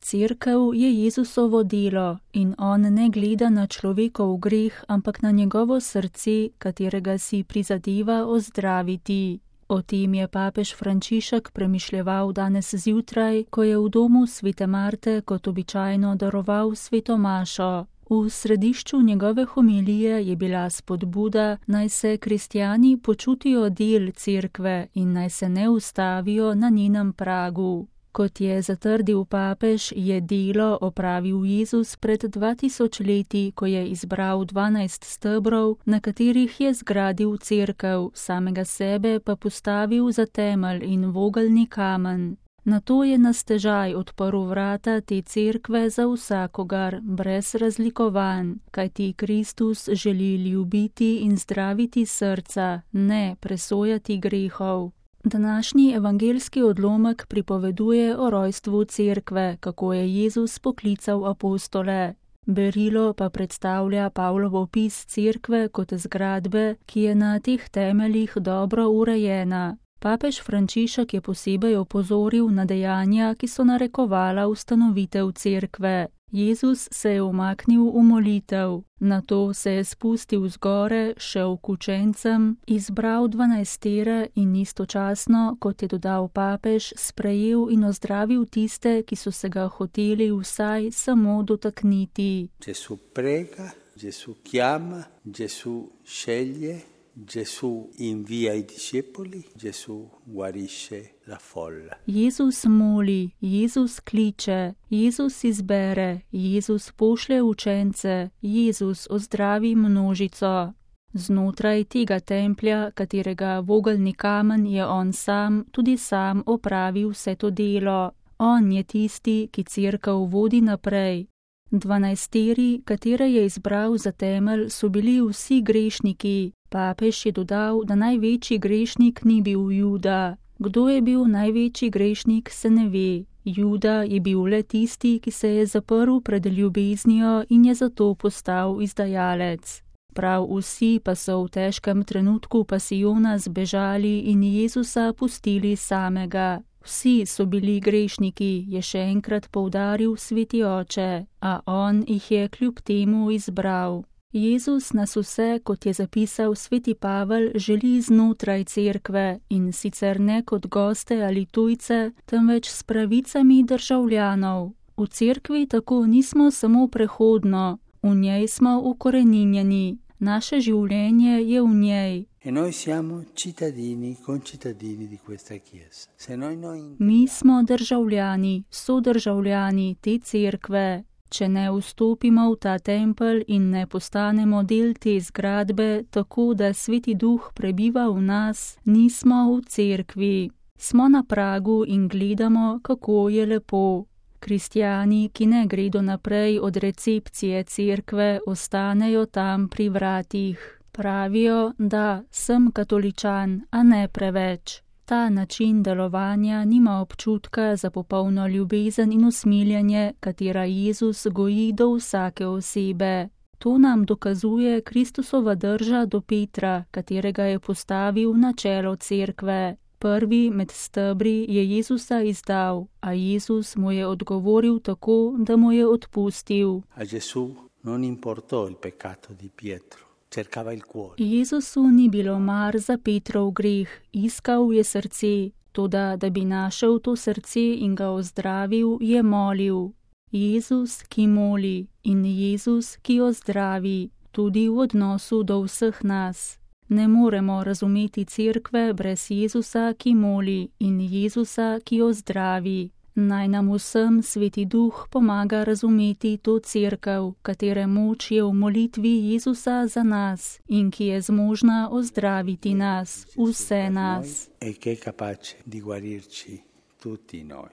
Cerkev je Jezusovo delo in on ne gleda na človekov greh, ampak na njegovo srce, katerega si prizadeva ozdraviti. O tem je papež Frančišek premišljeval danes zjutraj, ko je v domu svete Marte kot običajno daroval sveto mašo. V središču njegove homilije je bila spodbuda, naj se kristjani počutijo del cerkve in naj se ne ustavijo na njenem pragu. Kot je zatrdil papež, je delo opravil Jezus pred 2000 leti, ko je izbral 12 stebrov, na katerih je zgradil cerkev, samega sebe pa postavil za temelj in vogelni kamen. Nato je na stežaj odprl vrata te cerkve za vsakogar, brez razlikovanj, kajti Kristus želi ljubiti in zdraviti srca, ne presojati grehov. Današnji evangeljski odlomek pripoveduje o rojstvu cerkve, kako je Jezus poklical apostole. Berilo pa predstavlja Pavlov opis cerkve kot zgradbe, ki je na teh temeljih dobro urejena. Papež Frančišek je posebej opozoril na dejanja, ki so narekovala ustanovitev cerkve. Jezus se je umaknil v molitev, nato se je spustil zgore, šel k učencem, izbral 12 in istočasno, kot je dodal papež, sprejel in ozdravil tiste, ki so se ga hoteli vsaj samo dotakniti. Gesù prega, Gesù chiama, Gesù sceglie, Gesù invia i discepoli, Gesù guarisce la folla. Jezus moli, Jezus kliče, Jezus izbere, Jezus pošlje učence, Jezus ozdravi množico. Znotraj tega templja, katerega vogelni kamen je on sam, tudi sam opravi vse to delo. On je tisti, ki cerkev vodi naprej. 12, katere je izbral za temelj, so bili vsi grešniki. Papež je dodal, da največji grešnik ni bil Juda. Kdo je bil največji grešnik, se ne ve. Juda je bil le tisti, ki se je zaprl pred ljubeznijo in je zato postal izdajalec. Prav vsi pa so v težkem trenutku pasijona zbežali in Jezusa pustili samega. Vsi so bili grešniki, je še enkrat poudaril sveti oče, a on jih je kljub temu izbral. Jezus nas vse, kot je zapisal sveti Pavel, želi znotraj cerkve in sicer ne kot goste ali tujce, temveč s pravicami državljanov. V cerkvi tako nismo samo prehodno, v njej smo ukoreninjeni, naše življenje je v njej. Mi smo državljani, sodržavljani te cerkve. Če ne vstopimo v ta tempelj in ne postanemo del te zgradbe, tako da sveti duh prebiva v nas, nismo v cerkvi. Smo na pragu in gledamo, kako je lepo. Kristjani, ki ne gredo naprej od recepcije cerkve, ostanejo tam pri vratih. Pravijo, da sem katoličan, a ne preveč. Ta način delovanja nima občutka za popolno ljubezen in usmiljenje, katera Jezus goji do vsake osebe. To nam dokazuje Kristusova drža do Petra, katerega je postavil na čelo cerkve. Prvi med stebri je Jezusa izdal, a Jezus mu je odgovoril tako, da mu je odpustil. A Gesù non importò il peccato di Pietro. Jezusu ni bilo mar za Petrov greh, iskal je srce, toda da bi našel to srce in ga ozdravil, je molil. Jezus, ki moli, in Jezus, ki ozdravi, tudi v odnosu do vseh nas. Ne moremo razumeti cerkve brez Jezusa, ki moli, in Jezusa, ki ozdravi. Naj nam vsem sveti duh pomaga razumeti to cerkev, katere moč je v molitvi Jezusa za nas in ki je zmožna ozdraviti nas, vse nas.